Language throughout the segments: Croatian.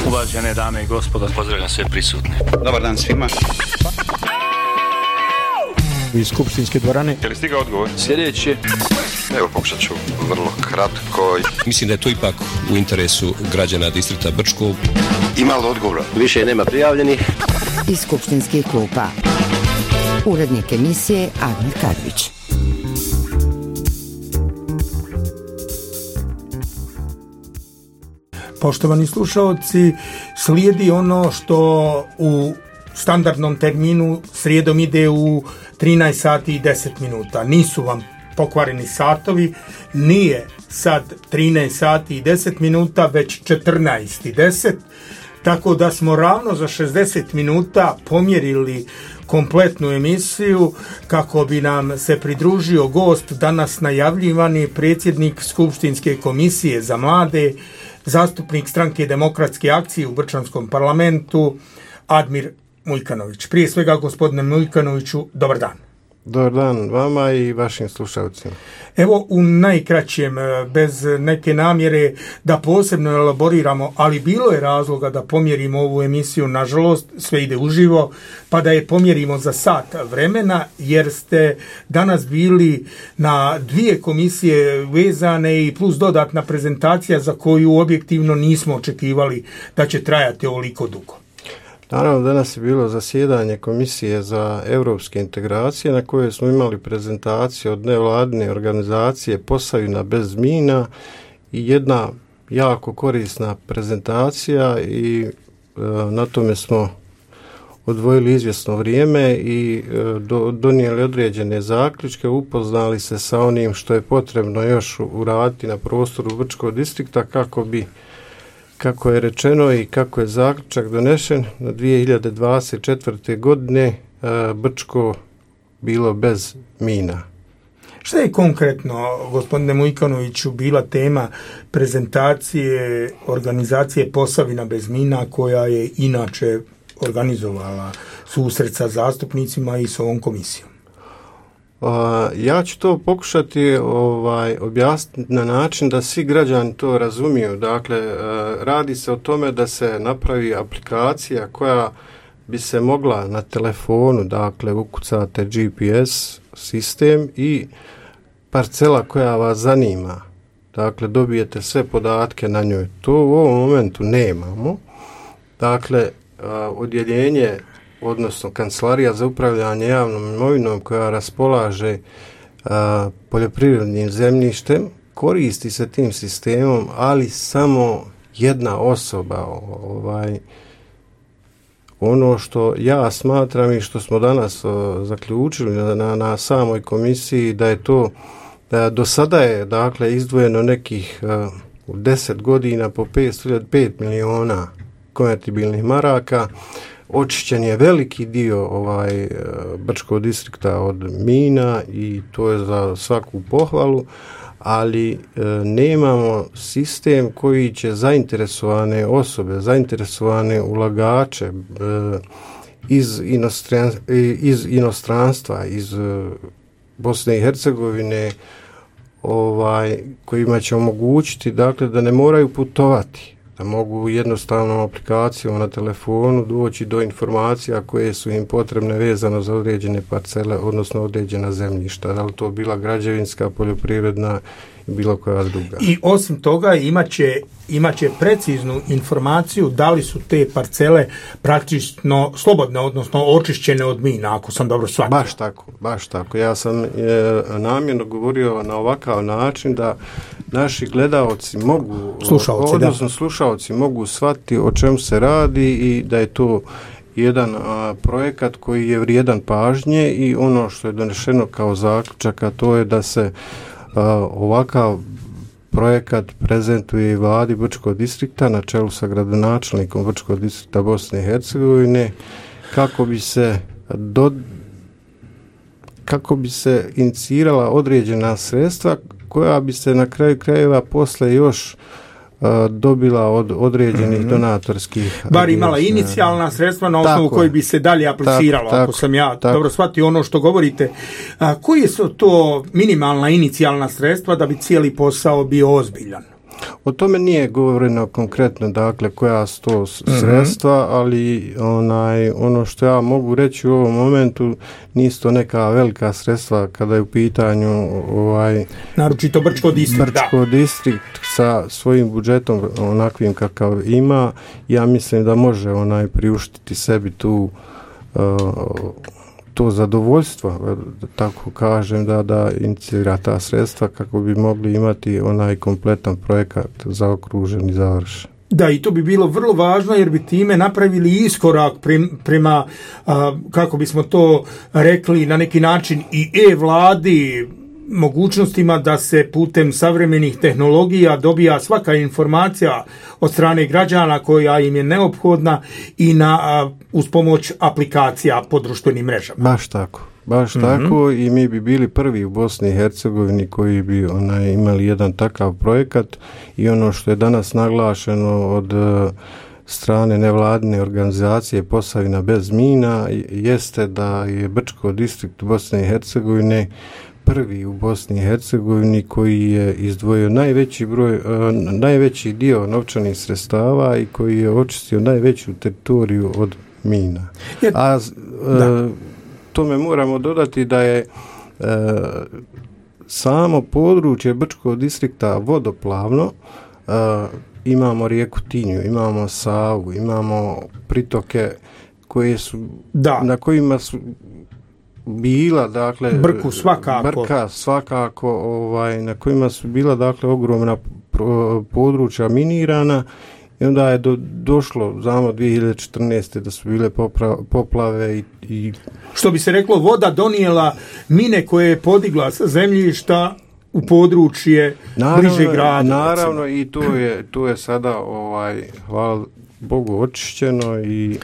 Uvažene dame i gospodo, pozdravljam sve prisutne. Dobar dan svima. Iz skupštinske dvorane. Je li stigao odgovor? Sljedeće. Evo, pokušat ću vrlo kratko. Mislim da je to ipak u interesu građana distrikta Brčko. Ima li odgovora? Više nema prijavljenih. Iz skupštinskih klupa. Urednik emisije Admir Kadrić. Poštovani slušaoci, slijedi ono što u standardnom terminu srijedom ide u 13 sati i 10 minuta. Nisu vam pokvareni satovi, nije sad 13 sati i 10 minuta, već 14 i 10, tako da smo ravno za 60 minuta pomjerili kompletnu emisiju kako bi nam se pridružio gost, danas najavljivani predsjednik Skupštinske komisije za mlade, zastupnik Stranke demokratske akcije u Brčanskom parlamentu, Admir Muljkanović. Prije svega, gospodine Muljkanoviću, dobar dan. Dobar dan vama i vašim slušalcima. Evo, u najkraćem, bez neke namjere da posebno elaboriramo, ali bilo je razloga da pomjerimo ovu emisiju, nažalost, sve ide uživo, pa da je pomjerimo za sat vremena, jer ste danas bili na 2 komisije vezane i plus dodatna prezentacija za koju objektivno nismo očekivali da će trajati ovoliko dugo. Naravno, danas je bilo zasjedanje Komisije za europske integracije na kojoj smo imali prezentaciju od nevladine organizacije Posavina bez mina i jedna jako korisna prezentacija i na tome smo odvojili izvjesno vrijeme i donijeli određene zaključke, upoznali se sa onim što je potrebno još uraditi na prostoru Brčkog distrikta kako je rečeno i kako je zaključak donešen na 2024. godine Brčko bilo bez mina. Šta je konkretno, gospodine Muljkanoviću, bila tema prezentacije organizacije Posavina bez mina, koja je inače organizovala susret sa zastupnicima i s ovom komisijom? Ja ću to pokušati objasniti na način da svi građani to razumiju. Dakle, radi se o tome da se napravi aplikacija koja bi se mogla na telefonu, dakle, ukucate GPS sistem i parcela koja vas zanima. Dakle, dobijete sve podatke na njoj. To u ovom momentu nemamo. Dakle, odjeljenje, odnosno Kancelarija za upravljanje javnom imovinom koja raspolaže poljoprivrednim zemljištem, koristi se tim sistemom, ali samo jedna osoba. Ono što ja smatram i što smo danas zaključili na samoj komisiji, da je to, da do sada je, dakle, izdvojeno nekih 10 godina po 5 miliona konvertibilnih maraka. Očišćen je veliki dio Brčkog distrikta od mina i to je za svaku pohvalu, ali nemamo sistem koji će zainteresovane osobe, zainteresovane ulagače iz inostranstva, iz Bosne i Hercegovine, kojima će omogućiti, dakle, da ne moraju putovati, da mogu jednostavnom aplikacijom na telefonu doći do informacija koje su im potrebne vezano za određene parcele, odnosno određena zemljišta, da li to bila građevinska, poljoprivredna i bilo koja druga. I osim toga imaće preciznu informaciju da li su te parcele praktično slobodne, odnosno očišćene od mina, ako sam dobro shvatio. Baš tako. Ja sam namjerno govorio na ovakav način da naši gledaoci mogu, slušaoci mogu shvatiti o čemu se radi i da je to jedan projekat koji je vrijedan pažnje i ono što je donešeno kao zaključak, a to je da se ovakav projekat prezentuje i vladi Brčkog distrikta na čelu sa gradonačelnikom Brčkog distrikta Bosne i Hercegovine kako bi se inicirala određena sredstva koja bi se na kraju krajeva posle još dobila od određenih donatorskih bar imala inicijalna sredstva na osnovu koji bi se dalje apliciralo, ako sam ja dobro shvatio ono što govorite. Koji su to minimalna inicijalna sredstva da bi cijeli posao bio ozbiljan? O tome nije govoreno konkretno, dakle, koja su to sredstva, ali ono što ja mogu reći u ovom momentu, nisu to neka velika sredstva kada je u pitanju naročito Brčko distrikt sa svojim budžetom onakvim kakav ima. Ja mislim da može priuštiti sebi to zadovoljstvo, da tako kažem, da inicira ta sredstva kako bi mogli imati kompletan projekat zaokružen i završen. Da, i to bi bilo vrlo važno jer bi time napravili iskorak prema, kako bismo to rekli, na neki način i e-vladi, mogućnostima da se putem savremenih tehnologija dobija svaka informacija od strane građana koja im je neophodna i uz pomoć aplikacija po društvenim mrežama. Baš tako, i mi bi bili prvi u Bosni i Hercegovini koji bi imali jedan takav projekat, i ono što je danas naglašeno od strane nevladine organizacije Posavina bez mina jeste da je Brčko distrikt Bosne i Hercegovine prvi u Bosni i Hercegovini koji je izdvojio najveći dio novčanih sredstava i koji je očistio najveću teritoriju od mina. Tome moramo dodati da je samo područje Brčkog distrikta vodoplavno. Imamo rijeku Tinju, imamo Savu, imamo pritoke koje su na kojima su bila, dakle, Brka svakako, na kojima su bila, dakle, ogromna područja minirana, i onda je došlo, znamo, 2014. da su bile poplave i što bi se reklo, voda donijela mine koje je podigla sa zemljišta u područje bliže grada. Naravno, i to je sada, hvala Bogu, očišćeno. I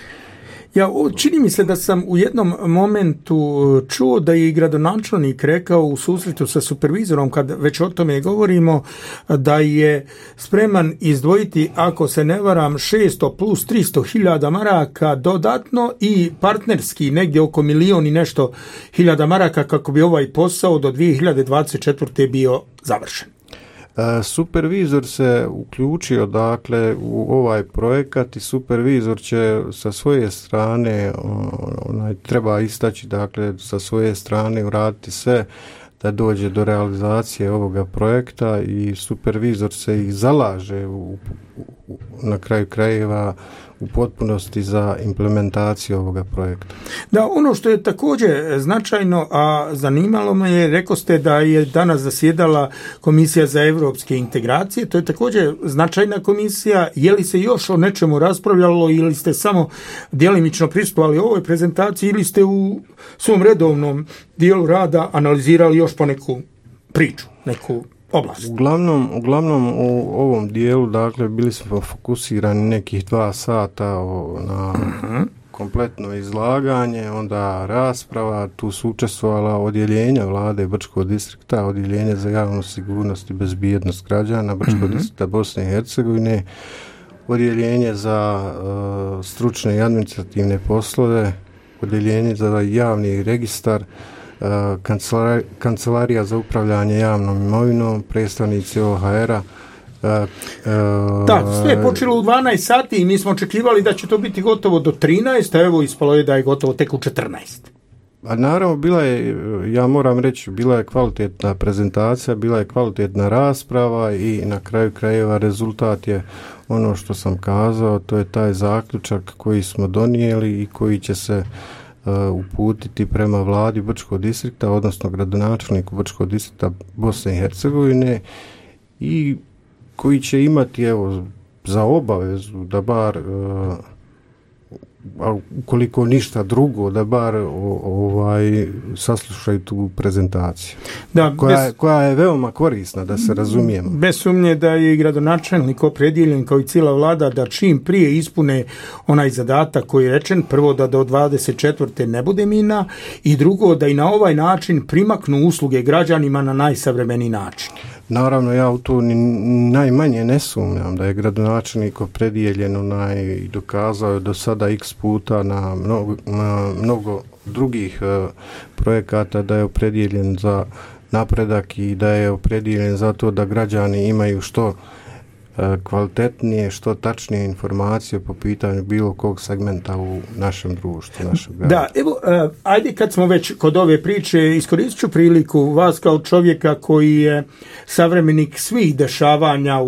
čini mi se da sam u jednom momentu čuo da je i gradonačelnik rekao u susretu sa supervizorom, kad već o tome govorimo, da je spreman izdvojiti, ako se ne varam, 600 plus 300.000 maraka dodatno i partnerski negdje oko 1.000.000 i nešto hiljada maraka kako bi ovaj posao do 2024. bio završen. Supervizor se uključio, dakle, u ovaj projekat, i supervizor će sa svoje strane, treba istaći, dakle, sa svoje strane uraditi sve da dođe do realizacije ovoga projekta, i supervizor se i zalaže na kraju krajeva u potpunosti za implementaciju ovoga projekta. Da, ono što je također značajno, a zanimalo me je, rekao ste da je danas zasjedala Komisija za europske integracije, to je također značajna komisija. Je li se još o nečemu raspravljalo ili ste samo djelimično prisustvovali ovoj prezentaciji, ili ste u svom redovnom dijelu rada analizirali još po neku priču, neku oblast? Uglavnom u ovom dijelu, dakle, bili smo fokusirani nekih 2 sata na kompletno izlaganje, onda rasprava. Tu su učestvovala odjeljenja vlade Brčkog distrikta, odjeljenje za javnu sigurnost i bezbjednost građana Brčkog distrikta Bosne i Hercegovine, odjeljenje za stručne i administrativne poslove, odjeljenje za javni registar, kancelarija za upravljanje javnom imovinom, predstavnici OHR-a. Da, sve je počelo u 12 sati i mi smo očekivali da će to biti gotovo do 13, a evo ispalo je da je gotovo tek u 14. A naravno, bila je, ja moram reći, bila je kvalitetna prezentacija, bila je kvalitetna rasprava, i na kraju krajeva rezultat je ono što sam kazao, to je taj zaključak koji smo donijeli i koji će se uputiti prema vladi Brčkog distrikta, odnosno gradonačelniku Brčkog distrikta Bosne i Hercegovine, i koji će imati, evo, za obavezu da bar, ukoliko ništa drugo, da bar saslušaju tu prezentaciju, koja je veoma korisna, da se razumijemo. Bez sumnje da je i gradonačelnik opredjeljen, kao i cijela vlada, da čim prije ispune onaj zadatak koji je rečen, prvo da do 24. ne bude mina, i drugo da i na ovaj način primaknu usluge građanima na najsavremeniji način. Naravno, ja u to najmanje ne sumnjam da je gradonačelnik opredijeljen i dokazao je do sada x puta na mnogo drugih projekata da je opredijeljen za napredak i da je opredijeljen za to da građani imaju što kvalitetnije, što tačnije informacije po pitanju bilo kog segmenta u našem društvu, našem gradu. Da, evo, ajde kad smo već kod ove priče, iskoristit ću priliku vas kao čovjeka koji je savremenik svih dešavanja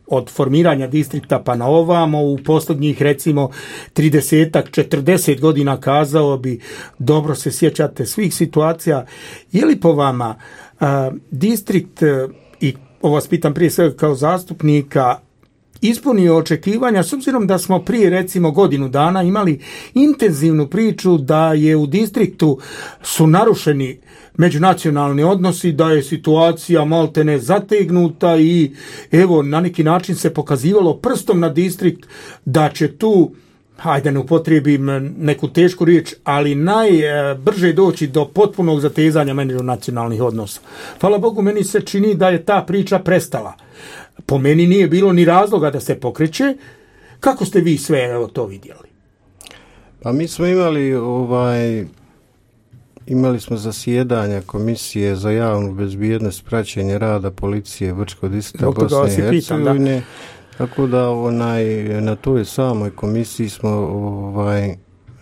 od formiranja distrikta pa na ovamo, u posljednjih recimo 30-40 godina kazao bi, dobro se sjećate svih situacija. Je li po vama distrikt, i ovo vas pitam prije svega kao zastupnika, ispunio očekivanja, s obzirom da smo prije recimo godinu dana imali intenzivnu priču da je u distriktu su narušeni međunacionalni odnosi, da je situacija maltene zategnuta i evo na neki način se pokazivalo prstom na distrikt da će tu, hajde ne upotrijebim neku tešku riječ, ali najbrže doći do potpunog zatezanja međunacionalnih odnosa. Hvala Bogu, meni se čini da je ta priča prestala. Po meni nije bilo ni razloga da se pokreće. Kako ste vi sve to vidjeli? Pa mi smo imali smo zasjedanja Komisije za javnu bezbjednost, praćenje rada policije Brčkog distrikta Bosne i Hercegovine. Tako da na toj samoj komisiji smo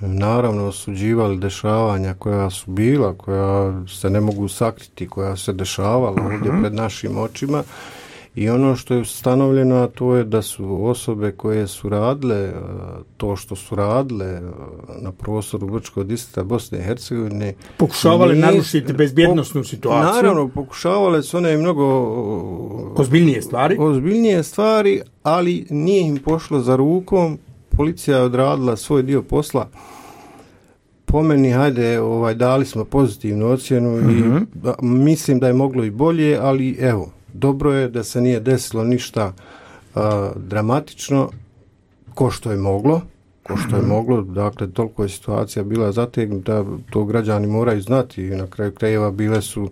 naravno osuđivali dešavanja koja su bila, koja se ne mogu sakriti, koja se dešavala ovdje pred našim očima. I ono što je ustanovljeno, a to je da su osobe koje su radile to što su radile na prostoru Brčkog distrikta Bosne i Hercegovine pokušavali narušiti bezbjednosnu situaciju. Naravno, pokušavale su one mnogo ozbiljnije stvari, ali nije im pošlo za rukom. Policija je odradila svoj dio posla. Po meni, hajde, dali smo pozitivnu ocjenu i mislim da je moglo i bolje, ali evo, dobro je da se nije desilo ništa dramatično ko što je moglo, dakle toliko je situacija bila zategnuta, to građani moraju znati, na kraju krajeva bile su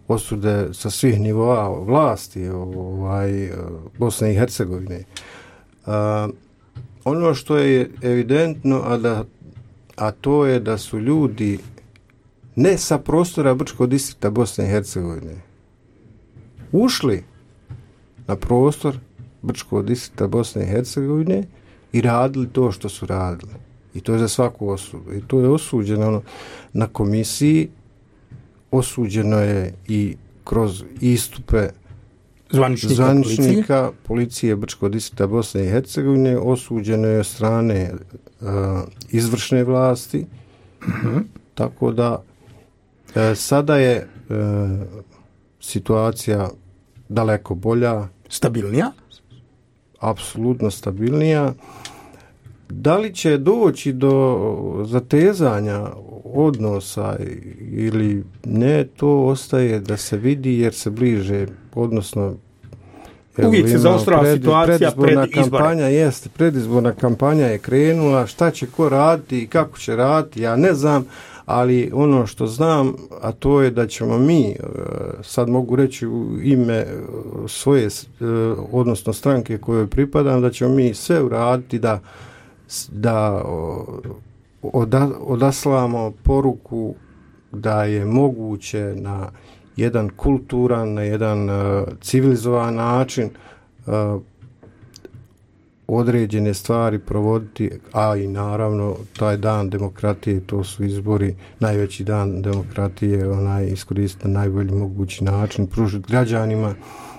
osude sa svih nivoa vlasti Bosne i Hercegovine. Ono što je evidentno, a to je da su ljudi ne sa prostora Brčkog distrikta Bosne i Hercegovine ušli na prostor Brčkog distrikta Bosne i Hercegovine i radili to što su radili. I to je za svaku osudu. I to je osuđeno na komisiji, osuđeno je i kroz istupe zvaničnika policije Brčkog distrikta Bosne i Hercegovine, osuđeno je od strane izvršne vlasti. Tako da sada je situacija daleko bolja. Stabilnija? Apsolutno stabilnija. Da li će doći do zatezanja odnosa ili ne, to ostaje da se vidi jer se bliže, odnosno uvijek se zaostrava situacija pred izbore. Predizborna kampanja je krenula, šta će ko raditi i kako će raditi, ja ne znam, ali ono što znam, a to je da ćemo mi, sad mogu reći u ime svoje, odnosno stranke kojoj pripadam, da ćemo mi sve uraditi da odaslamo poruku da je moguće na jedan kulturan, na jedan civilizovan način određene stvari provoditi, a i naravno taj dan demokratije, to su izbori, najveći dan demokratije, iskoristiti na najbolji mogući način, pružiti građanima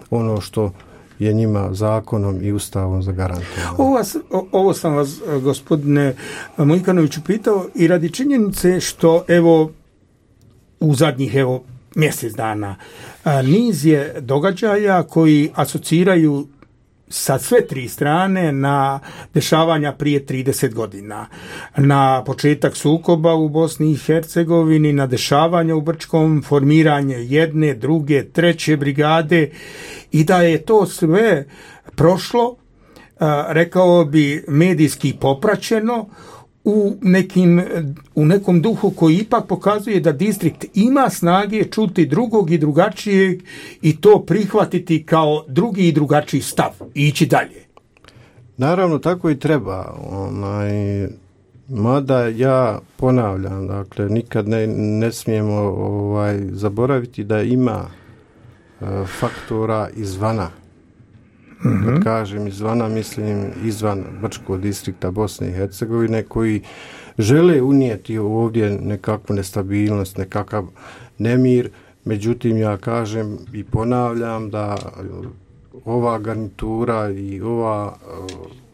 ono što je njima zakonom i ustavom zagarantovano. Ovo sam vas, gospodine Mojkanoviću, pitao i radi činjenice što evo u zadnjih mjesec dana niz je događaja koji asociraju sa sve tri strane na dešavanja prije 30 godina. Na početak sukoba u Bosni i Hercegovini, na dešavanja u Brčkom, formiranje jedne, druge, treće brigade i da je to sve prošlo, rekao bi medijski popraćeno, u nekom duhu koji ipak pokazuje da distrikt ima snage čuti drugog i drugačijeg i to prihvatiti kao drugi i drugačiji stav i ići dalje. Naravno, tako i treba. Mada ja ponavljam, dakle, nikad ne smijemo zaboraviti da ima faktora izvana Kad kažem izvana, mislim izvan Brčkog distrikta Bosne i Hercegovine, koji žele unijeti ovdje nekakvu nestabilnost, nekakav nemir. Međutim, ja kažem i ponavljam da ova garnitura i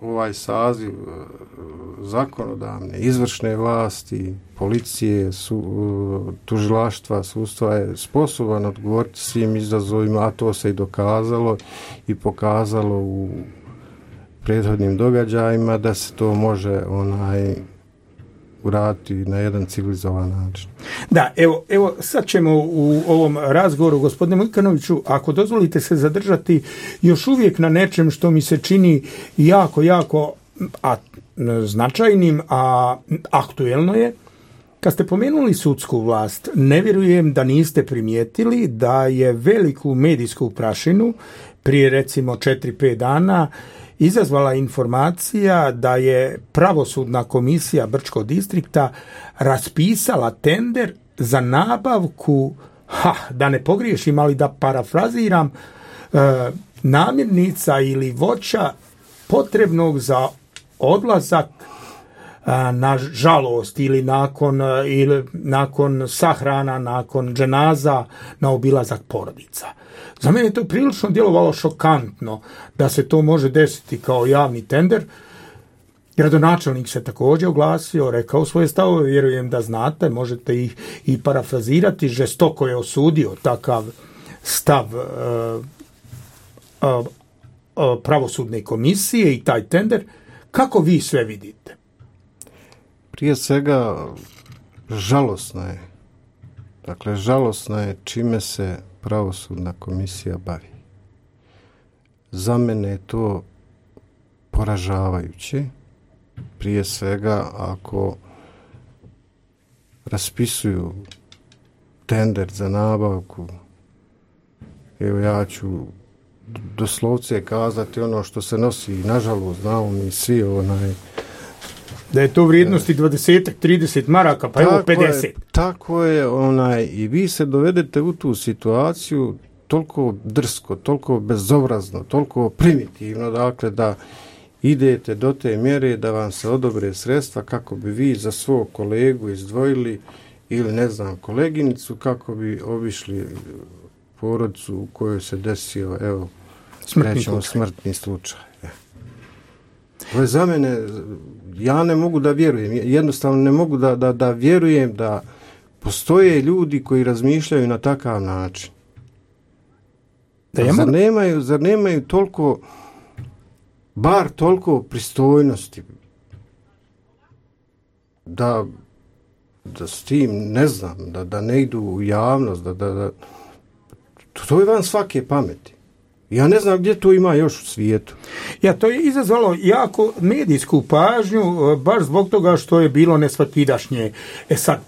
ovaj saziv zakonodavne, izvršne vlasti, policije, tužilaštva, sudstva je sposoban odgovoriti svim izazovima, a to se i dokazalo i pokazalo u prethodnim događajima da se to može uraditi na jedan civilizovan način. Da, evo sad ćemo u ovom razgovoru, gospodine Mujkanoviću, ako dozvolite se zadržati još uvijek na nečem što mi se čini jako značajnim, a aktuelno je. Kad ste pomenuli sudsku vlast, ne vjerujem da niste primijetili da je veliku medijsku prašinu prije recimo 4-5 dana izazvala informacija da je pravosudna komisija Brčkog distrikta raspisala tender za nabavku, da ne pogriješim, ali da parafraziram, namirnica ili voća potrebnog za odlazak na žalost ili nakon sahrana, nakon dženaza na obilazak porodica. Za mene je to prilično djelovalo šokantno da se to može desiti kao javni tender. Gradonačelnik se također oglasio, rekao svoje stavove, vjerujem da znate, možete ih i parafrazirati, žestoko je osudio takav stav pravosudne komisije i taj tender. Kako vi sve vidite? Prije svega, žalosno je čime se pravosudna komisija bavi. Za mene je to poražavajuće. Prije svega, ako raspisuju tender za nabavku, evo ja ću doslovce kazati ono što se nosi, nažalost, znamo mi svi da je to vrijednosti 20-30 maraka, pa evo 50. Tako je, i vi se dovedete u tu situaciju toliko drsko, toliko bezobrazno, toliko primitivno, dakle da idete do te mjere da vam se odobre sredstva kako bi vi za svog kolegu izdvojili ili koleginicu kako bi obišli porodicu u kojoj se desio smrtni slučaj. Ovo je za mene, ja ne mogu da vjerujem, jednostavno ne mogu da vjerujem da postoje ljudi koji razmišljaju na takav način. Zar nemaju toliko, bar toliko pristojnosti da s tim, da ne idu u javnost, to je van svake pameti. Ja ne znam gdje to ima još u svijetu. To je izazvalo jako medijsku pažnju, baš zbog toga što je bilo nesvakidašnje. Sad,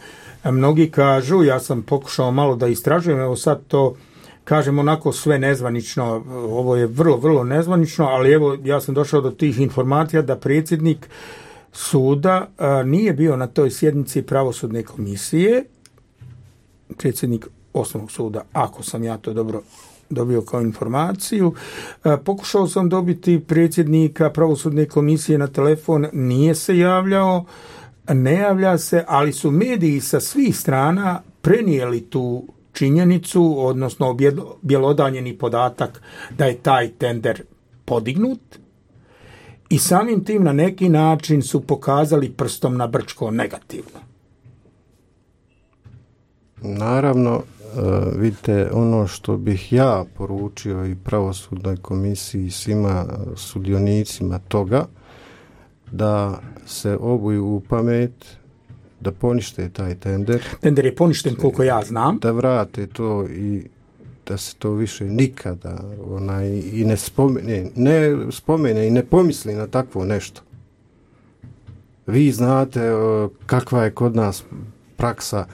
mnogi kažu, ja sam pokušao malo da istražujem, evo sad to kažem onako sve nezvanično, ovo je vrlo, vrlo nezvanično, ali evo ja sam došao do tih informacija da predsjednik suda nije bio na toj sjednici pravosudne komisije, predsjednik osnovnog suda, ako sam ja to dobro dobio kao informaciju. Pokušao sam dobiti predsjednika pravosudne komisije na telefon, nije se javljao, ne javlja se, ali su mediji sa svih strana prenijeli tu činjenicu, odnosno bjelodanjeni podatak da je taj tender podignut i samim tim na neki način su pokazali prstom na Brčko negativno. Naravno, vidite, ono što bih ja poručio i pravosudnoj komisiji, svima sudionicima toga, da se obuju u pamet, da ponište taj tender. Tender je poništen koliko ja znam. Da vrate to i da se to više nikada i ne spomene i ne pomisli na takvo nešto. Vi znate kakva je kod nas praksa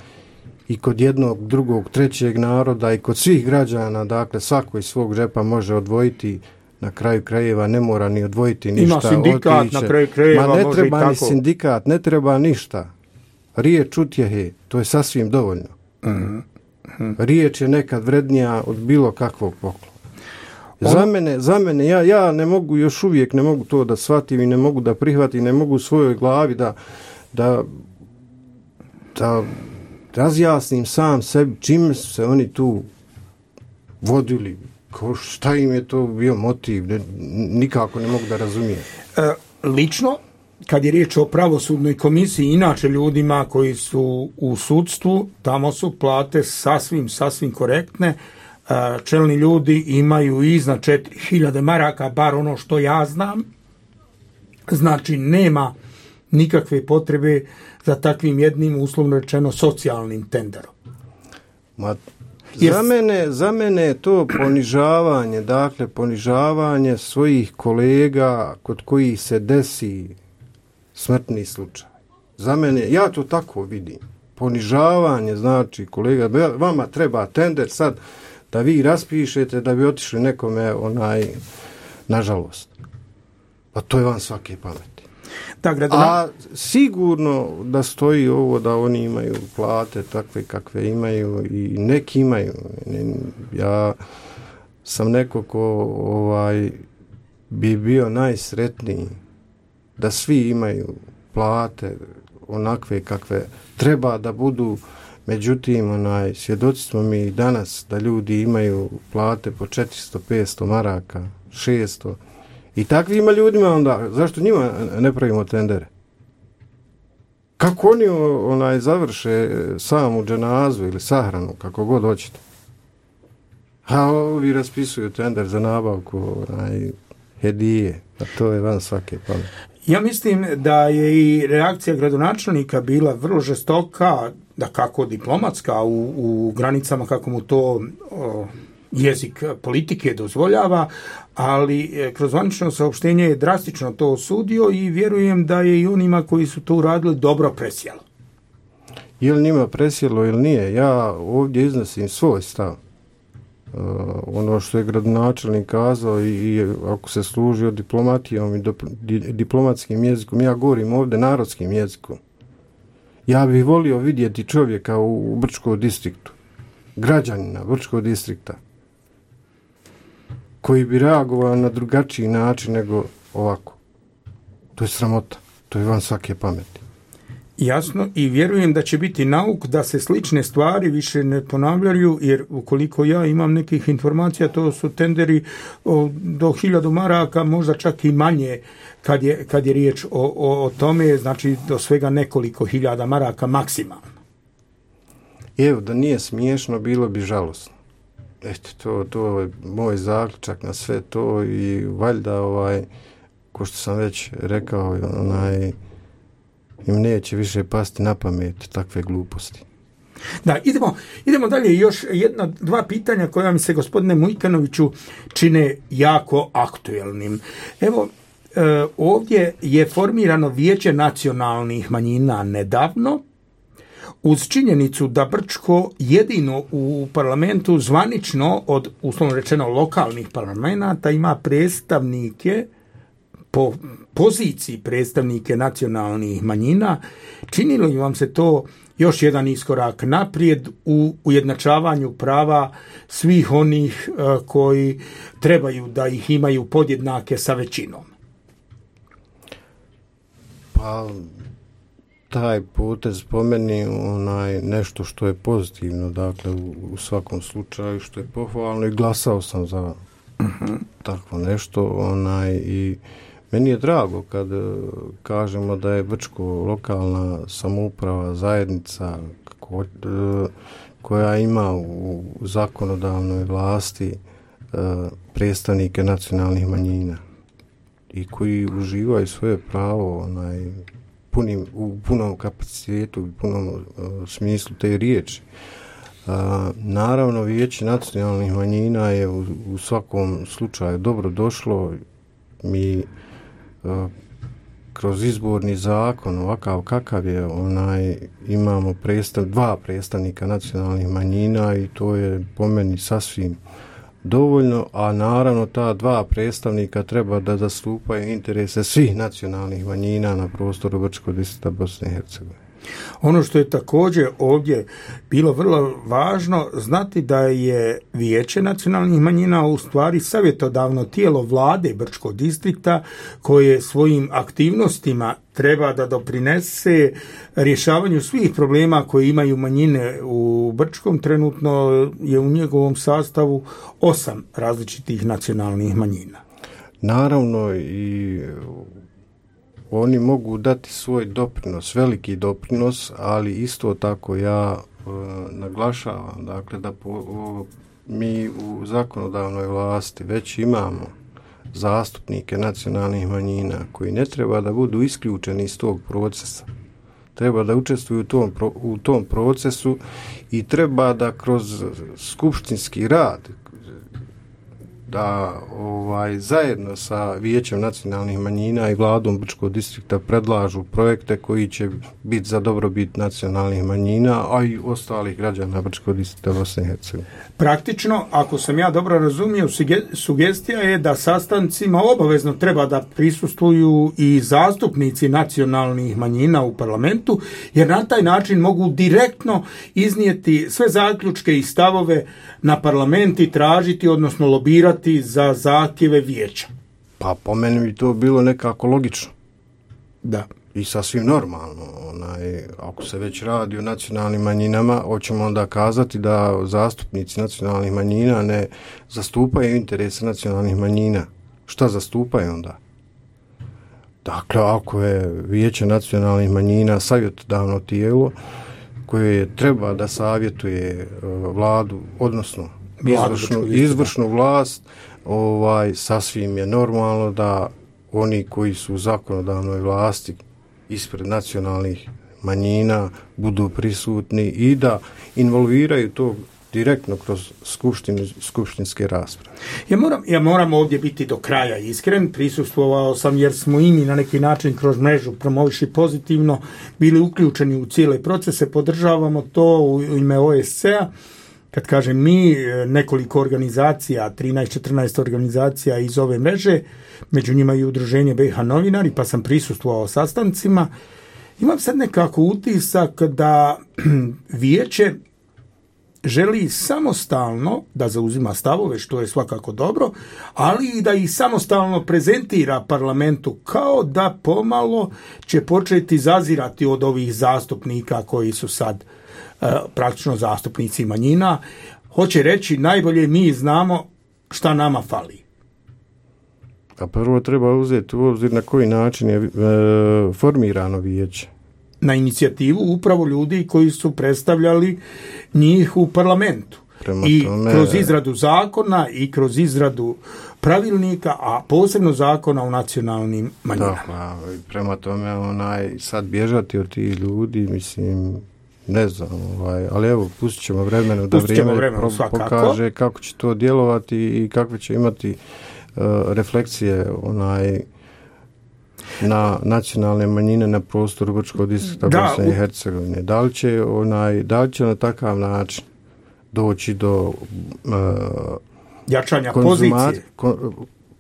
i kod jednog, drugog, trećeg naroda i kod svih građana, dakle svako iz svog džepa može odvojiti, na kraju krajeva ne mora ni odvojiti ništa. Ima sindikat otiće. Na kraju krajeva ne može treba i tako. Ni sindikat, ne treba ništa. Riječ utjehe, to je sasvim dovoljno. Riječ je nekad vrednija od bilo kakvog poklona. Za mene, ja ne mogu, još uvijek ne mogu to da shvatim i ne mogu da prihvatim, ne mogu u svojoj glavi da razjasnim sam sebi čime su se oni tu vodili, šta im je to bio motiv, nikako ne mogu da razumijem. Lično, kad je riječ o pravosudnoj komisiji, inače ljudima koji su u sudstvu, tamo su plate sasvim korektne. Čelni ljudi imaju iznad 4000 maraka, bar ono što ja znam. Znači, nema nikakve potrebe za takvim jednim, uslovno rečeno, socijalnim tenderom. Za mene je to ponižavanje, dakle ponižavanje svojih kolega kod kojih se desi smrtni slučaj. Za mene, ja to tako vidim. Ponižavanje, znači, kolega, vama treba tender sad da vi raspišete da bi otišli nekome nažalost. Pa to je van svake pameti. A sigurno da stoji ovo da oni imaju plate takve kakve imaju i neki imaju. Ja sam neko ko bi bio najsretniji da svi imaju plate onakve kakve treba da budu. Međutim, svjedoci smo mi danas da ljudi imaju plate po 400, 500 maraka, 600. I takvima ljudima onda, zašto njima ne pravimo tendere? Kako oni završe samu dženazu ili sahranu, kako god hoćete? A ovi raspisuju tender za nabavku hedije, a to je van svake pameti. Ja mislim da je i reakcija gradonačelnika bila vrlo žestoka, da kako diplomatska u granicama kako mu to jezik politike dozvoljava, ali kroz zvanično saopštenje je drastično to osudio i vjerujem da je i onima koji su to uradili dobro presjelo. Je li njima presjelo ili nije? Ja ovdje iznosim svoj stav. Ono što je gradonačelnik kazao i ako se služio diplomatijom i diplomatskim jezikom, ja govorim ovdje narodskim jezikom. Ja bih volio vidjeti čovjeka u Brčkom distriktu, građanina Brčkog distrikta, koji bi reagovao na drugačiji način nego ovako. To je sramota, to je van svake pameti. Jasno, i vjerujem da će biti nauk da se slične stvari više ne ponavljaju, jer ukoliko ja imam nekih informacija, to su tenderi do 1000 maraka, možda čak i manje kad je riječ o tome, znači do svega nekoliko hiljada maraka maksimalno. Evo, da nije smiješno, bilo bi žalosno. Eto, to je moj zaključak na sve to i valjda, ko što sam već rekao, im neće više pasti na pamet takve gluposti. Da, idemo dalje. Još dva pitanja koja mi se, gospodine Mujkanoviću, čine jako aktuelnim. Evo, ovdje je formirano Vijeće nacionalnih manjina nedavno, uz činjenicu da Brčko jedino u parlamentu zvanično od, uslovno rečeno, lokalnih parlamenta ima predstavnike po poziciji predstavnike nacionalnih manjina. Činilo li vam se to još jedan iskorak naprijed u ujednačavanju prava svih onih koji trebaju da ih imaju podjednake sa većinom? Pa taj potez po meni nešto što je pozitivno, dakle u svakom slučaju, što je pohvalno, i glasao sam za takvo nešto, i meni je drago kad kažemo da je Brčko lokalna samouprava, zajednica koja ima u zakonodavnoj vlasti predstavnike nacionalnih manjina i koji uživaju svoje pravo u punom kapacitetu, u punom smislu te riječi. Naravno, Vijeće nacionalnih manjina je u svakom slučaju dobro došlo. Mi kroz izborni zakon, ovakav kakav je, imamo dva predstavnika nacionalnih manjina i to je po meni sasvim dovoljno, a naravno ta dva predstavnika treba da zastupaju interese svih nacionalnih manjina na prostoru Brčkog distrikta Bosne i Hercegovine. Ono što je također ovdje bilo vrlo važno znati da je Vijeće nacionalnih manjina u stvari savjetodavno tijelo vlade Brčkog distrikta koje svojim aktivnostima treba da doprinese rješavanju svih problema koje imaju manjine u Brčkom. Trenutno je u njegovom sastavu 8 različitih nacionalnih manjina. Naravno i oni mogu dati svoj doprinos, veliki doprinos, ali isto tako ja naglašavam dakle, da mi u zakonodavnoj vlasti već imamo zastupnike nacionalnih manjina koji ne treba da budu isključeni iz tog procesa. Treba da učestvuju u tom procesu i treba da kroz skupštinski rad da zajedno sa Vijećem nacionalnih manjina i vladom Brčkog distrikta predlažu projekte koji će biti za dobrobit nacionalnih manjina, a i ostalih građana Brčkog distrikta Bosne i Hercegovine. Praktično, ako sam ja dobro razumio, sugestija je da sastancima obavezno treba da prisustvuju i zastupnici nacionalnih manjina u parlamentu, jer na taj način mogu direktno iznijeti sve zaključke i stavove na parlament i tražiti, odnosno lobirati za zahtjeve vijeća. Pa po meni bi to bilo nekako logično. Da. I sasvim normalno. Ako se već radi o nacionalnim manjinama, hoćemo onda kazati da zastupnici nacionalnih manjina ne zastupaju interese nacionalnih manjina. Šta zastupaju onda? Dakle, ako je Vijeće nacionalnih manjina savjetodavno tijelo koje treba da savjetuje vladu, odnosno izvršnu vlast, sasvim je normalno da oni koji su u zakonodavnoj vlasti ispred nacionalnih manjina budu prisutni i da involviraju to direktno kroz skupštinske rasprave. Ja moram ovdje biti do kraja iskren, prisustvovao sam jer smo i mi na neki način kroz mrežu Promoviši pozitivno bili uključeni u cijele procese, podržavamo to u ime OSCE-a. Kad kažem mi, nekoliko organizacija, 13-14 organizacija iz ove mreže, među njima i udruženje BiH novinari, pa sam prisustvovao sastancima. Imam sad nekako utisak da vijeće želi samostalno da zauzima stavove, što je svakako dobro, ali i da ih samostalno prezentira parlamentu, kao da pomalo će početi zazirati od ovih zastupnika koji su sad praktično zastupnici manjina. Hoće reći, najbolje mi znamo šta nama fali. A prvo treba uzeti u obzir na koji način je formirano vijeće. Na inicijativu upravo ljudi koji su predstavljali njih u parlamentu. Kroz izradu zakona i kroz izradu pravilnika, a posebno zakona o nacionalnim manjinama. Da, prema tome sad bježati od tih ljudi, mislim, ne znam, ali evo, pustit ćemo vremenu da vrijeme pokaže kako će to djelovati i kakve će imati refleksije na nacionalne manjine na prostoru Brčkog distrikta Bosne i Hercegovine. Da li će na takav način doći do jačanja pozicije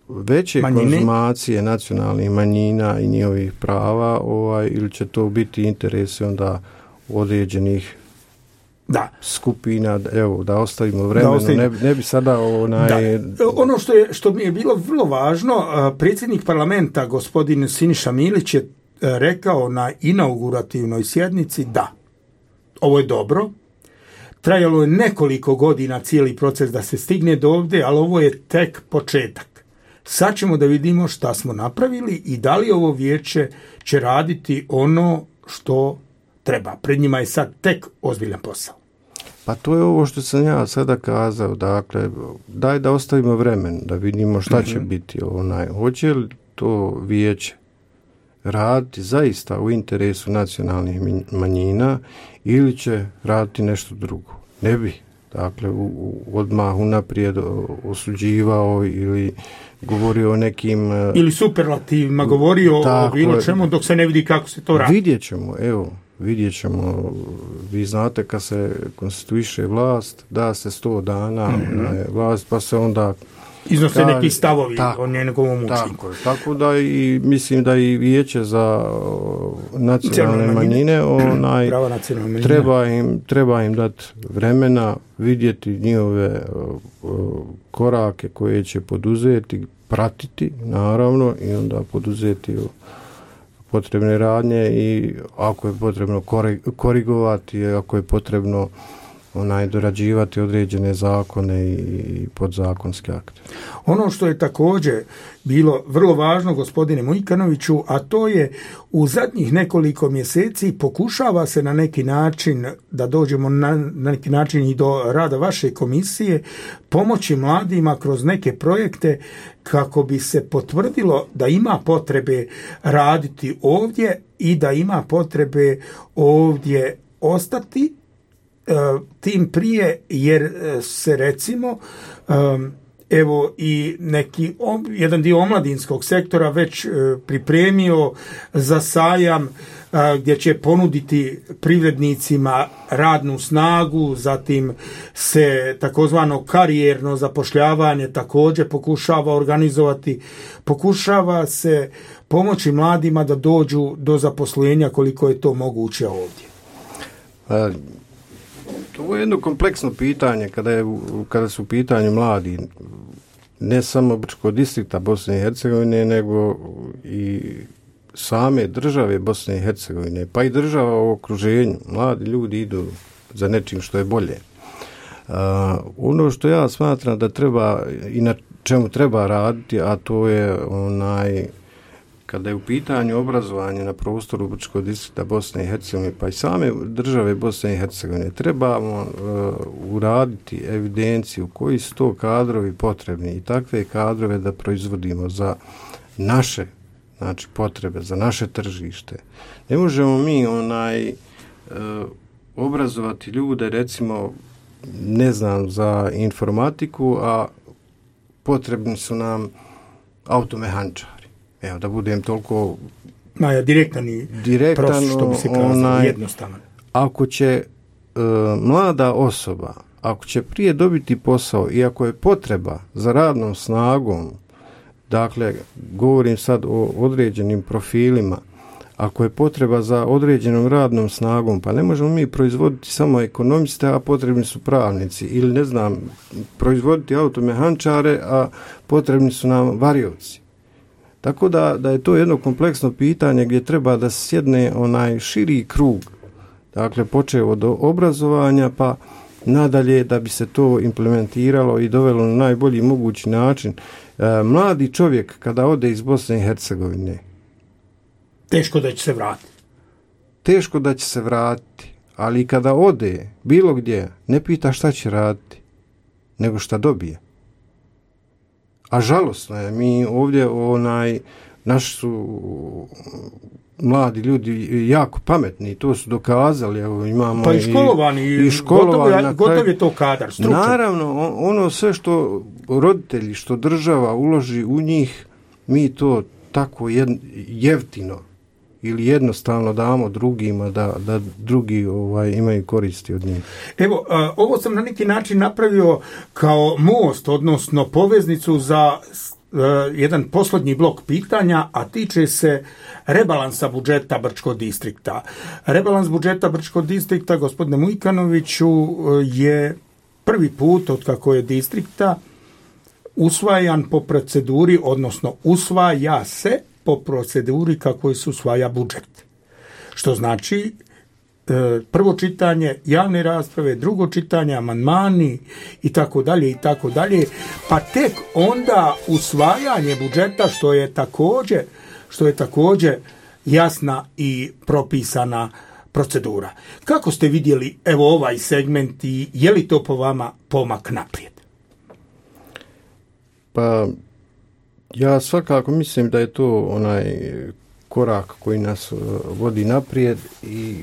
veće konzumacije nacionalnih manjina i njihovih prava, ili će to biti interesi onda određenih skupina, evo, da ostavimo vremenu, ne bi sada Ono što mi je bilo vrlo važno, predsjednik parlamenta gospodin Siniša Milić je rekao na inaugurativnoj sjednici da ovo je dobro, trajalo je nekoliko godina cijeli proces da se stigne do ovdje, ali ovo je tek početak. Sad ćemo da vidimo šta smo napravili i da li ovo vijeće će raditi ono što treba. Pred njima je sad tek ozbiljan posao. Pa to je ovo što sam ja sada kazao, dakle, daj da ostavimo vremen, da vidimo šta će biti. Hoće li to vijeće raditi zaista u interesu nacionalnih manjina ili će raditi nešto drugo? Ne bi, dakle, odmah unaprijed osuđivao ili govorio o nekim... Ili superlativima govorio o bilo čemu dok se ne vidi kako se to radi. Vidjet ćemo, vi znate kad se konstituiše vlast, da se 100 dana vlast, pa se onda iznose neki stavovi o njegovom učinku. Tako da i mislim da i Vijeće za nacionalne manjine treba im dati vremena, vidjeti njihove korake koje će poduzeti, pratiti naravno i onda poduzeti potrebne radnje i ako je potrebno korigovati, ako je potrebno dorađivati određene zakone i podzakonske akte. Ono što je također bilo vrlo važno, gospodine Mujkanoviću, a to je u zadnjih nekoliko mjeseci pokušava se na neki način, da dođemo na neki način i do rada vaše komisije, pomoći mladima kroz neke projekte kako bi se potvrdilo da ima potrebe raditi ovdje i da ima potrebe ovdje ostati, tim prije jer se recimo evo i jedan dio omladinskog sektora već pripremio za sajam gdje će ponuditi privrednicima radnu snagu, zatim se takozvano karijerno zapošljavanje također pokušava organizovati, pokušava se pomoći mladima da dođu do zaposlenja koliko je to moguće ovdje. To je jedno kompleksno pitanje kada su u pitanju mladi, ne samo Brčkog distrikta Bosne i Hercegovine, nego i same države Bosne i Hercegovine, pa i država u okruženju. Mladi ljudi idu za nečim što je bolje. Ono što ja smatram da treba i na čemu treba raditi, a to je kada je u pitanju obrazovanje na prostoru Brčkog distrikta Bosne i Hercegovine, pa i same države Bosne i Hercegovine, trebamo uraditi evidenciju koji su to kadrovi potrebni i takve kadrove da proizvodimo za naše potrebe, za naše tržište. Ne možemo mi obrazovati ljude, recimo, ne znam, za informatiku, a potrebni su nam automehančari. Evo, da budem toliko direktan prost, što bi se kazalo, jednostavan. Ako će mlada osoba, ako će prije dobiti posao i ako je potreba za radnom snagom, dakle, govorim sad o određenim profilima, ako je potreba za određenom radnom snagom, pa ne možemo mi proizvoditi samo ekonomiste, a potrebni su pravnici, ili ne znam, proizvoditi automehančare, a potrebni su nam varioci. Tako da je to jedno kompleksno pitanje gdje treba da sjedne širi krug, dakle počeo od obrazovanja pa nadalje da bi se to implementiralo i dovelo na najbolji mogući način. Mladi čovjek kada ode iz Bosne i Hercegovine, teško da će se vratiti. Teško da će se vratiti, ali kada ode bilo gdje, ne pita šta će raditi, nego šta dobije. A žalosno je, mi ovdje naši su mladi ljudi jako pametni, to su dokazali, evo imamo pa i školovani, gotov je to kadar, stručan. Naravno, ono sve što roditelji, što država uloži u njih, mi to tako jeftino ili jednostavno damo drugima da drugi imaju koristi od njih. Evo, ovo sam na neki način napravio kao most, odnosno poveznicu za jedan posljednji blok pitanja, a tiče se rebalansa budžeta Brčkog distrikta. Rebalans budžeta Brčkog distrikta, gospodine Mujkanoviću, je prvi put od kako je distrikta usvajan po proceduri, odnosno usvaja se po proceduri kako se usvaja budžet. Što znači prvo čitanje, javne rasprave, drugo čitanje, amandmani i tako dalje, pa tek onda usvajanje budžeta što je također jasna i propisana procedura. Kako ste vidjeli ovaj segment i je li to po vama pomak naprijed? Pa ja svakako mislim da je to onaj korak koji nas vodi naprijed i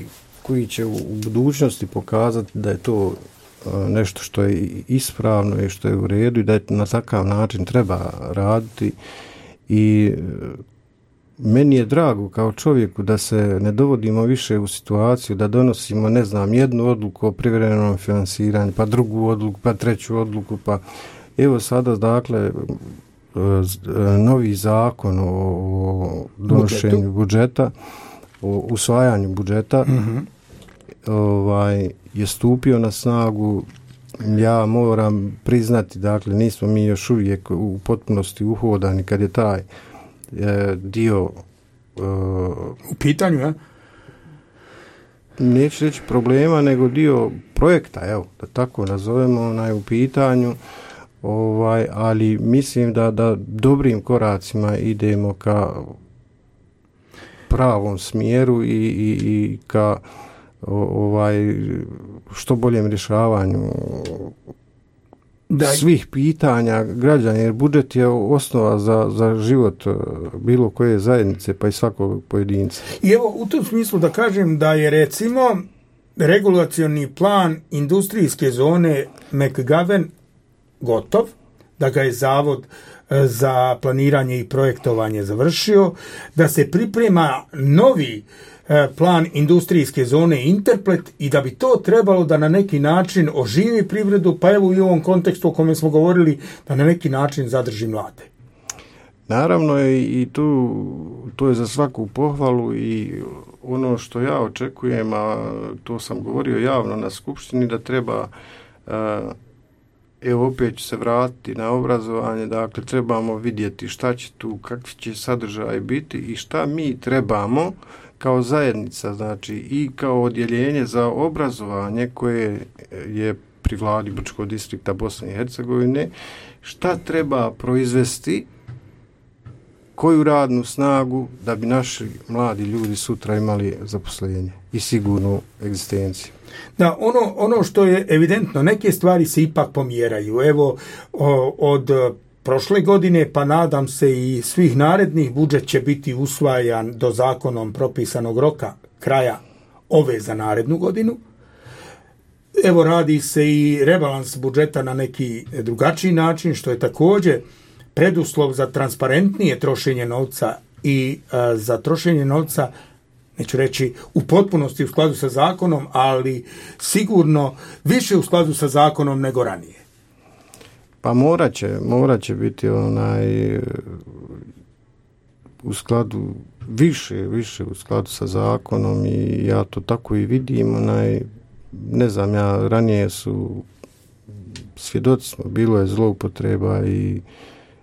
koji će u budućnosti pokazati da je to nešto što je ispravno i što je u redu i da je na takav način treba raditi. I meni je drago kao čovjeku da se ne dovodimo više u situaciju da donosimo, ne znam, jednu odluku o privremenom finansiranju, pa drugu odluku, pa treću odluku, pa Evo sada, dakle, novi zakon o donošenju budžeta, o usvajanju budžeta, je stupio na snagu. Ja moram priznati, dakle, nismo mi još uvijek u potpunosti uhodani kad je taj dio u pitanju, ja? Neću reći problema, nego dio projekta, evo, da tako nazovemo, u pitanju, ali mislim da dobrim koracima idemo ka pravom smjeru i ka što boljem rješavanju svih pitanja građana, jer budžet je osnova za život bilo koje zajednice, pa i svakog pojedinca. I evo, u tom smislu da kažem da je, recimo, regulacioni plan industrijske zone McGovern gotov, da ga je Zavod za planiranje i projektovanje završio, da se priprema novi plan industrijske zone Interplet i da bi to trebalo da na neki način oživi privredu, pa evo i u ovom kontekstu o kome smo govorili, da na neki način zadrži mlade. Naravno, i to je za svaku pohvalu i ono što ja očekujem, a to sam govorio javno na skupštini, da treba, evo opet ću se vratiti na obrazovanje, dakle trebamo vidjeti šta će tu, kakvi će sadržaj biti i šta mi trebamo kao zajednica, znači i kao odjeljenje za obrazovanje koje je pri vladi Brčkog distrikta Bosne i Hercegovine, šta treba proizvesti, koju radnu snagu da bi naši mladi ljudi sutra imali zaposlenje i sigurnu egzistenciju. Da, ono što je evidentno, neke stvari se ipak pomjeraju. Evo, od prošle godine, pa nadam se i svih narednih, budžet će biti usvajan do zakonom propisanog roka kraja ove za narednu godinu. Evo, radi se i rebalans budžeta na neki drugačiji način, što je također preduslov za transparentnije trošenje novca i za trošenje novca, neću reći u potpunosti u skladu sa zakonom, ali sigurno više u skladu sa zakonom nego ranije. Pa morat će biti u skladu više u skladu sa zakonom i ja to tako i vidim. Ne znam, ranije svjedoci smo, bilo je zloupotreba i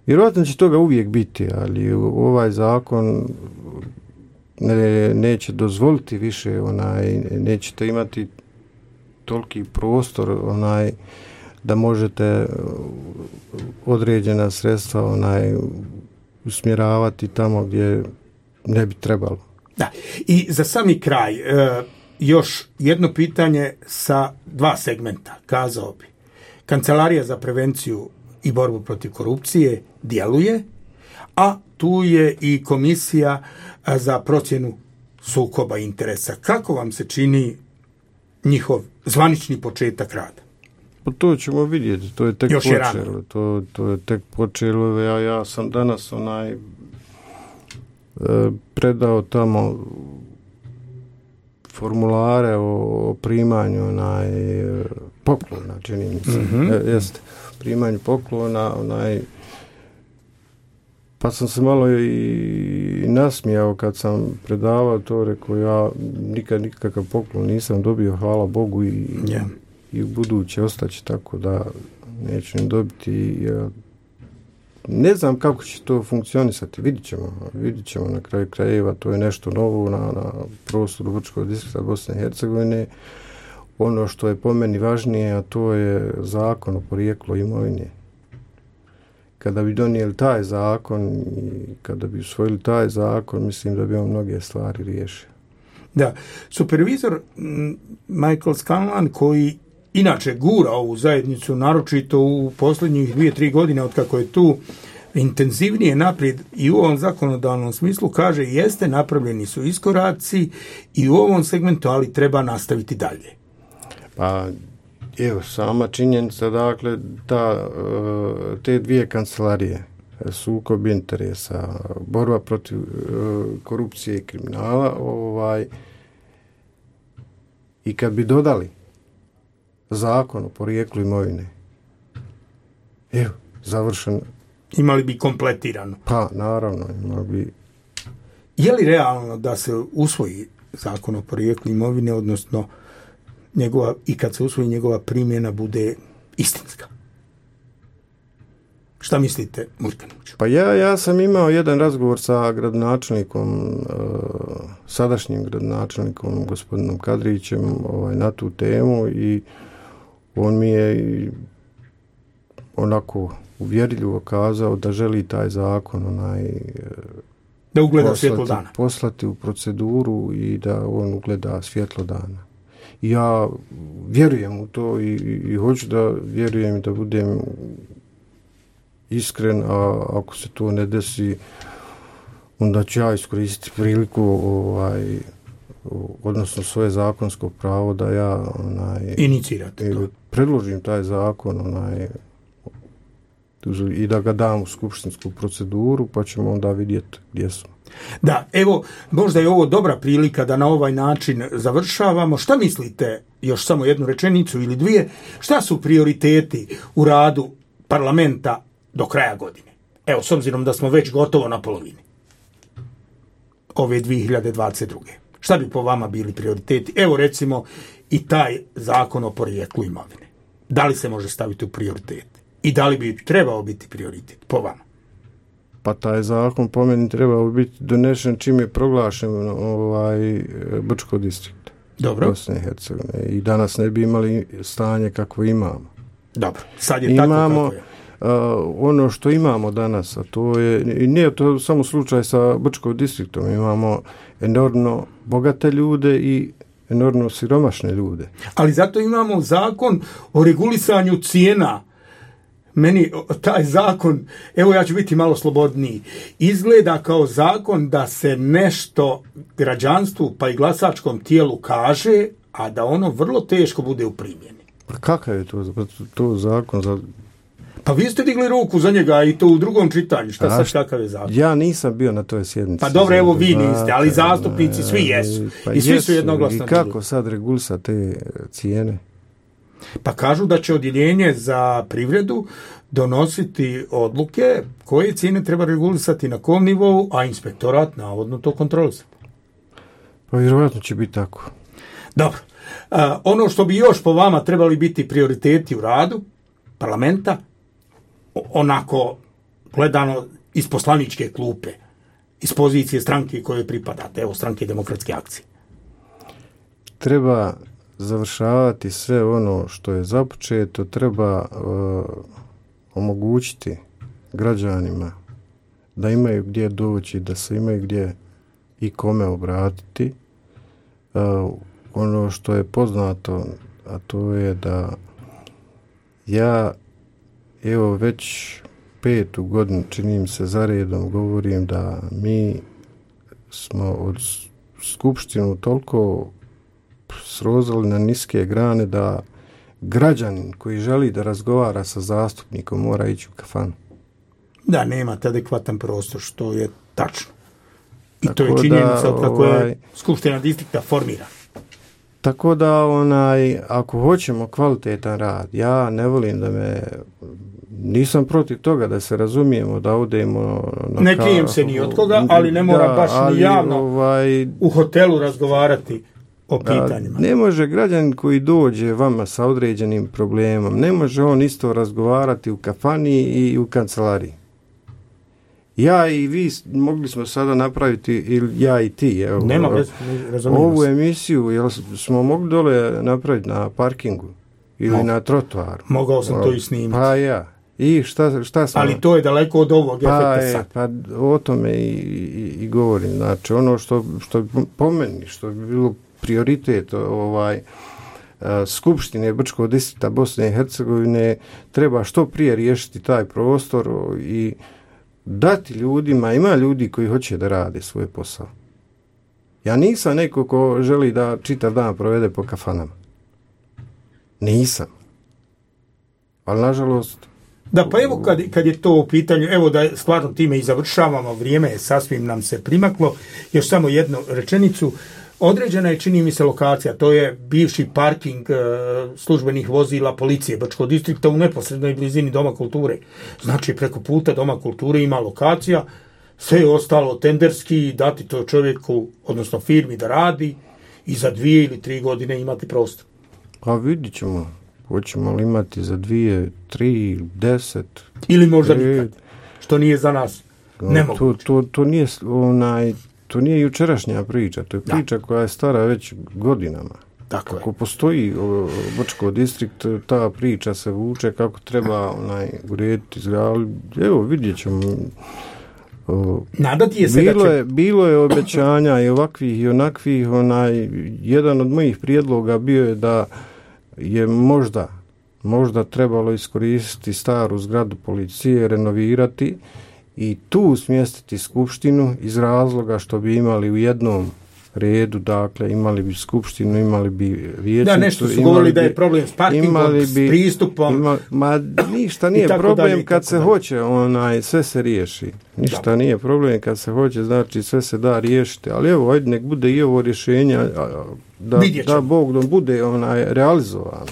vjerojatno će toga uvijek biti, ali ovaj zakon neće dozvoliti više, nećete imati toliki prostor da možete određena sredstva usmjeravati tamo gdje ne bi trebalo. Da. I za sami kraj još jedno pitanje sa dva segmenta, kazao bi. Kancelarija za prevenciju i borbu protiv korupcije djeluje, a tu je i komisija za procjenu sukoba interesa. Kako vam se čini njihov zvanični početak rada? Pa to ćemo vidjeti, to je tek počelo. To je tek počelo. Ja sam danas predao tamo formulare o primanju poklona, čini mi se. Jeste, primanju poklona, pa sam se malo i nasmijao kad sam predavao to, rekao ja nikakav poklon nisam dobio, hvala Bogu i u buduće ostaće tako da neću ni dobiti. Ne znam kako će to funkcionisati, vidit ćemo na kraju krajeva, to je nešto novo na prostoru Brčkog distrikta Bosne i Hercegovine. Ono što je po meni važnije, a to je zakon o porijeklu imovine. Kada bi donijeli taj zakon i kada bi usvojili taj zakon, mislim da bi on mnoge stvari riješio. Da, supervizor Michael Scanlan, koji inače gura ovu zajednicu, naročito u posljednjih 2-3 godine od kako je tu intenzivnije naprijed i u ovom zakonodavnom smislu, kaže jeste, napravljeni su iskoraci i u ovom segmentu, ali treba nastaviti dalje. Pa evo, sama činjenica, dakle, te dvije kancelarije, sukob interesa, borba protiv korupcije i kriminala, i kad bi dodali zakon o porijeklu imovine, evo, završen. Imali bi kompletirano. Pa, naravno, imali bi. Je li realno da se usvoji zakon o porijeklu imovine, odnosno njegova, i kad se usvoji njegova primjena bude istinska? Šta mislite, Murkanoviću? Pa ja sam imao jedan razgovor sa gradonačelnikom, sadašnjim gradonačelnikom, gospodinom Kadrićem, na tu temu i on mi je onako uvjerljivo kazao da želi taj zakon da ugleda svjetlo dana. Poslati u proceduru i da on ugleda svjetlo dana. I ja vjerujem u to i hoću da vjerujem i da budem iskren, a ako se to ne desi, onda ću ja iskoristiti priliku odnosno svoje zakonsko pravo da ja inicirate to. Predložim taj zakon i da ga dam u skupštinsku proceduru, pa ćemo onda vidjeti gdje smo. Da, evo, možda je ovo dobra prilika da na ovaj način završavamo. Šta mislite, još samo jednu rečenicu ili dvije, šta su prioriteti u radu parlamenta do kraja godine? Evo, s obzirom da smo već gotovo na polovini ove 2022. Šta bi po vama bili prioriteti? Evo, recimo, i taj zakon o porijeklu imovine. Da li se može staviti u prioritet? I da li bi trebao biti prioritet po vama? Pa taj zakon po meni trebao biti donešen čim je proglašen Brčko distrikt. Dobro. Bosne i Hercegovine. I danas ne bi imali stanje kakvo imamo. Dobro, sad je tako kako je. Ono što imamo danas, a to je, i nije to samo slučaj sa Brčkom distriktom, imamo enormno bogate ljude i enormno siromašne ljude. Ali zato imamo zakon o regulisanju cijena. Meni taj zakon, evo ja ću biti malo slobodniji, izgleda kao zakon da se nešto građanstvu pa i glasačkom tijelu kaže, a da ono vrlo teško bude u primjeni. Pa kakav je to zakon za... Pa vi ste digli ruku za njega i to u drugom čitanju. Šta sad kakav je zakon? Ja nisam bio na toj sjednici. Pa dobro, evo vi niste, ali zastupnici svi jesu. Pa i svi su jednoglasno. I kako sad regulisati te cijene? Pa kažu da će odjeljenje za privredu donositi odluke koje cijene treba regulisati na kom nivou, a inspektorat navodno to kontrolisati. Pa vjerovatno će biti tako. Dobro. Ono što bi još po vama trebali biti prioriteti u radu parlamenta, onako gledano iz poslaničke klupe, iz pozicije stranke koje pripadate, evo Stranke demokratske akcije. Treba završavati sve ono što je započeto, treba omogućiti građanima da imaju gdje doći, da se imaju gdje i kome obratiti. Ono što je poznato, a to je da ja evo već 5. godinu, čini mi se za redom, govorim da mi smo od skupštinu toliko srozali na niske grane da građanin koji želi da razgovara sa zastupnikom mora ići u kafanu. Da, nemate adekvatan prostor, što je tačno. I tako to je činjenica od kako je skupština distrikta formira. Tako da ako hoćemo kvalitetan rad, ja ne volim nisam protiv toga da se razumijemo, da odemo na ne krijem se ni od koga, ali ne mora baš ni javno u hotelu razgovarati o pitanjima. Ne može građanin koji dođe vama sa određenim problemom, ne može on isto razgovarati u kafani i u kancelariji. Ja i vi mogli smo sada napraviti, ili ja i ti, ovu emisiju, jel smo mogli dole napraviti na parkingu ili na trotoaru? Mogao sam to i snimiti. Pa ja. I šta smo? Ali to je daleko od ovog efekta sad. Pa o tome i govorim. Znači, ono što po meni, što bi bilo prioritet Skupštine Brčkog distrikta Bosne i Hercegovine, treba što prije riješiti taj prostor i dati ljudima, ima ljudi koji hoće da rade svoj posao. Ja nisam neko ko želi da čitav dan provede po kafanama. Nisam. Ali nažalost Da, pa evo kad je to u pitanju, evo da stvarno time i završavamo, vrijeme je sasvim nam se primaklo, još samo jednu rečenicu. Određena je, čini mi se, lokacija, to je bivši parking službenih vozila policije Brčkog distrikta u neposrednoj blizini Doma kulture. Znači, preko puta Doma kulture ima lokacija, sve je ostalo tenderski, dati to čovjeku, odnosno firmi da radi i za 2 ili 3 godine imati prostor. A vidit ćemo, hoćemo li imati za 2, 3, 10. Ili možda nikad, što nije za nas nemoguće. To nije jučerašnja priča, to je priča koja je stara već godinama. Tako Ako postoji Brčko distrikt, ta priča se vuče kako treba urediti zgradu. Evo, vidjet ćemo. Nadati je se bilo je obećanja i ovakvih i onakvih. Jedan od mojih prijedloga bio je da je možda trebalo iskoristiti staru zgradu policije, renovirati i tu smjestiti skupštinu iz razloga što bi imali u jednom redu, dakle imali bi skupštinu, imali bi vijećnicu. Da, nešto su govorili da je problem s parkingom, s pristupom. Ništa nije problem kad se hoće, sve se riješi. Ništa nije problem kad se hoće, znači sve se da riješiti. Ali evo, ajde, nek bude i ovo rješenja da Bog da bude realizovano.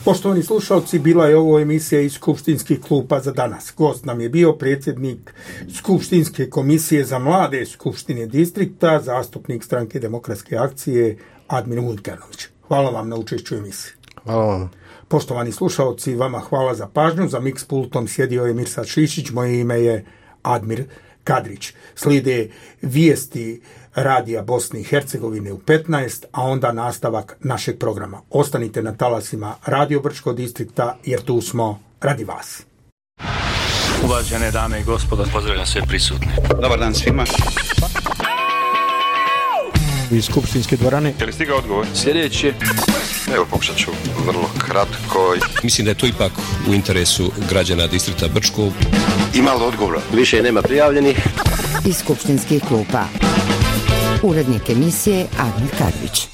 Poštovani slušalci, bila je ovo emisija iz Skupštinskih klupa za danas. Gost nam je bio predsjednik Skupštinske komisije za mlade Skupštine distrikta, zastupnik Stranke demokratske akcije Admir Mudkarnović. Hvala vam na učešću emisiji. Hvala vam. Poštovani slušalci, vama hvala za pažnju. Za mix pultom sjedio je Mirsad Šišić, moje ime je Admir Kadrić. Slijede vijesti Radija Bosne i Hercegovine u 15, a onda nastavak našeg programa. Ostanite na talasima Radio Brčkog distrikta, jer tu smo radi vas. Uvažene dame i gospodo, pozdravljam sve prisutne. Dobar dan svima. Iz skupštinske dvorane. Je li stigao odgovor? Sljedeće. Evo, pokušat ću vrlo kratko. Mislim da je to ipak u interesu građana distrikta Brčko. Ima li odgovora? Više nema prijavljenih. Iz skupštinskih klupa. Urednik emisije Admir Kadrić.